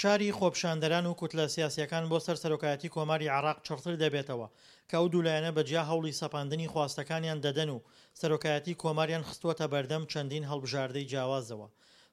فشاری خۆپیشاندەران و کوتلە سیاسییەکان بۆ سەر سەرۆکایەتی کۆماری عێراق چڕتر دەبێتەوە کە ئەو دوو لایەنە بە جیا هەوڵی سەپاندنی خواستەکانیان دەدەن و سەرۆکایەتی کۆماریان خستووەتە بەردەم چەندین هەڵبژاردەی جیاوازەوە.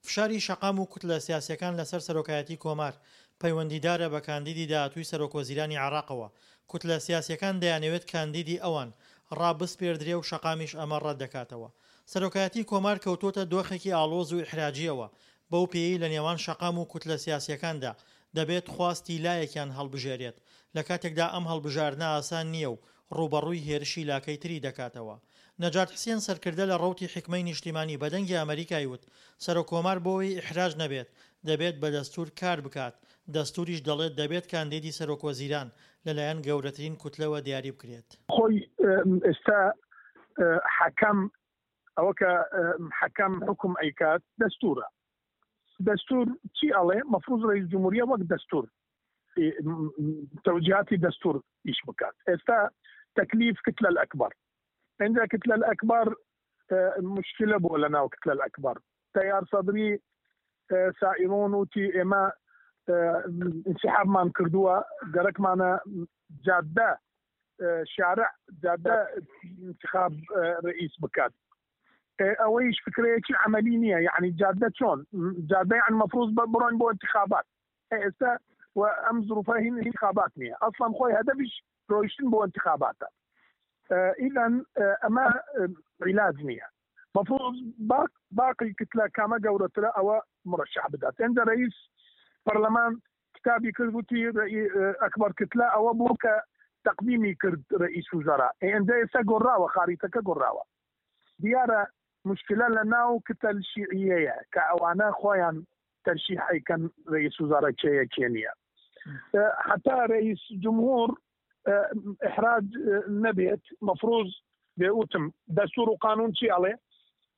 فشاری شەقام و کوتلە سیاسییەکان لەسەر سەرۆکایەتی کۆمار پەیوەندیدارە بە کاندیدی داهاتووی سەرۆکوەزیرانی عێراقەوە، کوتلە سیاسییەکان دەیانەوێت کاندیدی ئەوان ڕابسپێردرێ و شەقامیش ئەمە ڕەتدەکاتەوە. سەرۆکایەتی کۆمار کەوتووەتە دۆخێکی ئاڵۆز و ئیحراجییەوە، بەو پێیەی لە نێوان شەقام و کوتلە سیاسییەکاندا دەبێت خواستی لایەکیان هەڵبژێرێت، لە کاتێکدا ئەم هەڵبژاردنە ئاسان نییە و ڕووبەڕووی هێرشی لاکەی تری دەکاتەوە. نەجات حسێن سەرکردە لە ڕەوتی حیکمەی نیشتیمانی بە دەنگی ئەمەریکای وت، سەرۆک کۆمار بۆوەی ئیحراج نەبێت، دەبێت بە دەستوور کار بکات، دەستووریش دەڵێت دەبێت کاندیدی سەرۆک وەزیران لەلایەن گەورەترین کوتلەوە دیاری بکرێت. خۆی ئێستا حەکەم ئەوە کە حەکەم حوکم ئەیکات دەستوورە دەستور چی ئەڵێ مەفروز ڕئیس جمهوریە وەک دەستور تەوجیهاتی دەستور ئیش بکات ئێستا تەکلیف کتلە الئەکبەر ئینجا کتلە الئەکبەر مشکلە بووە لە ناو کتلە الئەکبەر تەیار سەدری سائرون وتی ئێمە انسحابمان کردووە گەرەکمانە جادە شارع جادە انتخاب رئیس بکات ئەوەیش فکرەیەکی عملی نییە یعنی جادە چۆن جادە یان مەفروض بڕۆن بۆ انتخابات ئێستا و ئەم زروفە هین انتخابات نییە ئەسڵەن خۆی هەدەفیش ڕۆیشتن بۆ انتخاباتە ئیذن ئەمە عیلاج نییە مەفروض باق باقی کتلە کامە گەورەترە ئەوە مرەشح بدات ئەنجا رئیس پەرلەمان کتابی کرد وتی ئەکبەر کتلە ئەوە بوو کە تەقدیمی کرد رئیس وزراء ئێنجا ئێستا گۆڕاوە خاریتەکە گۆڕاوە دیارە مشکلە لە ناو کتەل شیعیەیە کە ئەوانە خۆیان تەرشیح ئەیکەن رئیس وزراء کێیە کێ نییە حتا رئیس جمهور احراج نەبێت مفروض بێ وتم دەستور و قانون چی ئەڵێ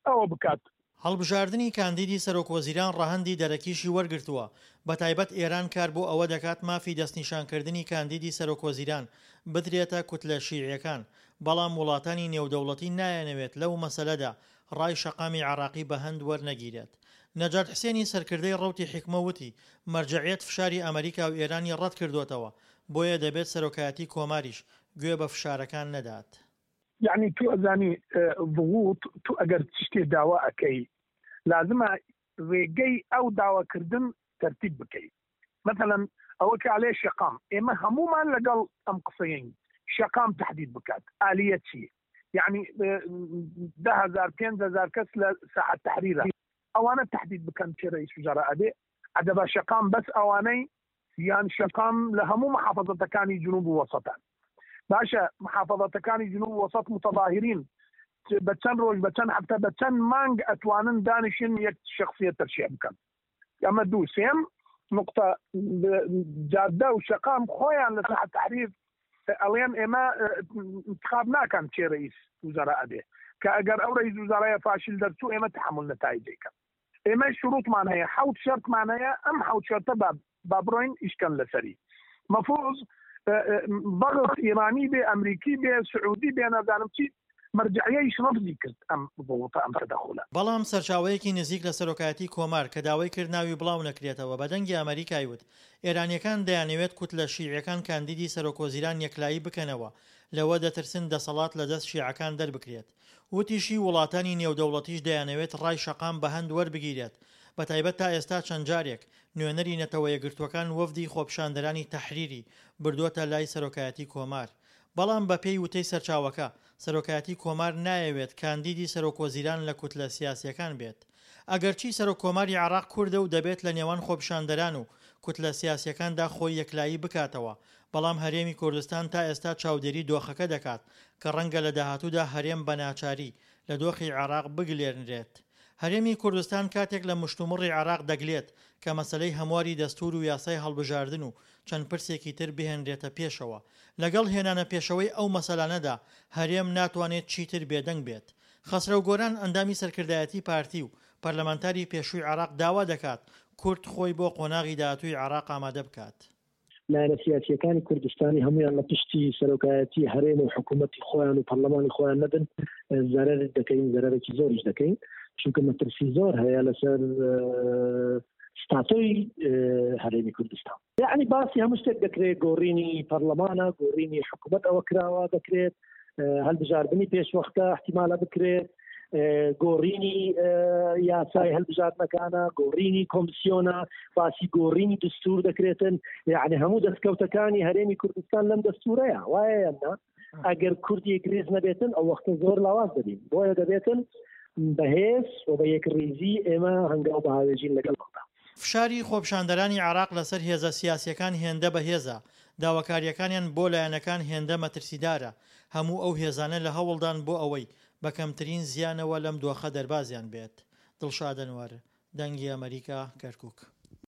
ئەوە بکات. هەڵبژاردنی کاندیدی سەرۆکوەزیران ڕەهەندی دەرەکیشی وەرگرتووە، بەتایبەت ئێران کار بۆ ئەوە دەکات مافی دەستنیشانکردنی کاندیدی سەرۆکوەزیران بدرێتە کوتلە شیعیەکان، بەڵام وڵاتانی نێودەوڵەتی نایانەوێت لەو مەسەلەدا ڕای شەقامی عێراقی بە هەند وەرنەگیرێت. نەجات حسێنی سەرکردەی ڕەوتی حیکمە وتی، مەرجەعیەت فشاری ئەمەریکا و ئێرانی ڕەتکردۆتەوە، بۆیە دەبێت سەرۆکایەتی کۆماریش گوێ بە فشارەکان نەدات. یەعنی تو ئەزانی ضغوط تو ئەگەر شتێ داوا ئەکەی لازمە رێگەی ئەو داواکردن تەرتیب بکەی مەسەلەن ئەوە کە ئەلێ شەقام ئێمە هەموومان لەگەڵ ئەم قسەیەین شەقام تەحدید بکات ئالیە چی یەعنی 10000 5000 کەس لە ساحە تەحریرە ئەوانە تەحدید بکەن کێ رئیس وزراء ئەبێ عەدەبا شەقام بەس ئەوانەی یان شەقام لە هەموو محافەزەتەکانی جنوب و وەسەتان باشە محافەزەتەکانی جنوب و وەسەت متەظاهرین بە چەند ڕۆژ بە چەند هەفتە بە چەند مانگ ئەتوانن دانیشن یەک شخصیت تەرشیح بکەن ئەمە دوو سێم نقطە جادە و شەقام خۆیان لە ساحە تحریر ئەڵێن ئێمە انتخاب ناکەن کێ رئیس وزراء ئەبێ کە ئەگەر ئەو رئیس وزرایە فاشل دەرچوو ئێمە تحمل نەتایجەکەن ئێمە شروطمان هەیە حەوت شەرتمان هەیە ئەم حەوت شەرتە با با بڕۆین ئیشکەن لەسەری مەفروض ضغط ئیرانی بێ ئەمریکی بێ سعودی بێ نازانم چی مەرجعیەیش ڕەفزی کرد ئەم ضغوطە ئەم تەدەخولە. بەڵام سەرچاوەیەکی نزیک لە سەرۆکایەتی کۆمار کە داوای کرد ناوی بڵاو نەکرێتەوە بە دەنگی ئەمەریکای وت ئێرانیەکان دەیانەوێت کوتلە شیعیەکان کاندیدی سەرۆکوەزیران یەکلایی بکەنەوە لەوە دەترسن دەسەڵات لە دەست شیعەکان دەربکرێت وتیشی، وڵاتانی نێودەوڵەتیش دەیانەوێت ڕای شەقام بە هەند وەربگیرێت، بەتایبەت تا ئێستا چەند جارێک نوێنەری نەتەوەیەکگرتووەکان وەفدی خۆپیشاندەرانی تەحریری بردووەتە لای سەرۆکایەتی کۆمار. بەڵام بەپێی وتەی سەرچاوەکە، سەرۆکایەتی کۆمار نایەوێت کاندیدی سەرۆکوەزیران لە کوتلە سیاسییەکان بێت. ئەگەرچی سەرۆککۆماری عێراق کوردە و دەبێت لە نێوان خۆپیشاندەران و کوتلە سیاسییەکاندا خۆی یەکلایی بکاتەوە، بەڵام هەرێمی کوردستان تا ئێستا چاودێری دۆخەکە دەکات کە ڕەنگە لە داهاتوودا هەرێم بە ناچاری لە دۆخی عێراق بگلێرنرێت. هەرێمی کوردستان کاتێک لە مشتومڕی عێراق دەگلێت کە مەسەلەی هەمواری دەستوور و یاسای هەڵبژاردن و چەند پرسێکی تر بهێنرێتە پێشەوە. لەگەڵ هێنانە پێشەوەی ئەو مەسەلانەدا هەرێم ناتوانێت چیتر بێدەنگ بێت. خەسرەو گۆران ئەندامی سەرکردایەتی پارتی و پەرلەمانتاری پێشووی عێراق داوا دەکات کورد خۆی بۆ قۆناغی داهاتووی عێراق ئامادە بکات. لایەنە سیاسییەکانی کوردستانی هەموویان لە پشتی سەرۆکایەتی هەرێم و حکوومەتی خۆیان و پەرلەمانی خۆیان نەبن زەرەر دەکەین زەرەرێکی زۆریش دەکەین چونکە مەترسی زۆر هەیە لەسەر. ستاتۆی هەرێمی کوردستان. یەعنی باسی هەموو شتێک دەکرێت، گۆڕینی پەرلەمانە، گۆڕینی حکوومەت ئەوە کراوە دەکرێت، هەلبژاردنی پێشوەختە احتیمالە بکرێت، گۆڕینی یاسای هەلبژاردنەکانە، گۆڕینی کۆمسیۆنە، باسی گۆڕینی دستور دەکرێتن، یعنی هەموو دەستکەوتەکانی هەرێمی کوردستان لەم دەستورەیە وایە یان نا؟ ئەگەر کورد یەکریز نەبێتن ئەو وەختە زۆر لاواز دەبین، بۆیە دەبێتن بەهێز و بە یەکڕیزی ئێمە هەنگاو بهاوێژین لەگەڵ بەغدا. فشاری خۆپیشاندەرانی عێراق لەسەر هێزە سیاسییەکان هێندە بەهێزە، داواکارییەکانیان بۆ لایەنەکان هێندە مەترسیدارە، هەموو ئەو هێزانە لە هەوڵدان بۆ ئەوەی بە کەمترین زیانەوە لەم دۆخە دەربازیان بێت. دڵشاد ئەنوەر، دەنگی ئەمەریکا، کەرکوک.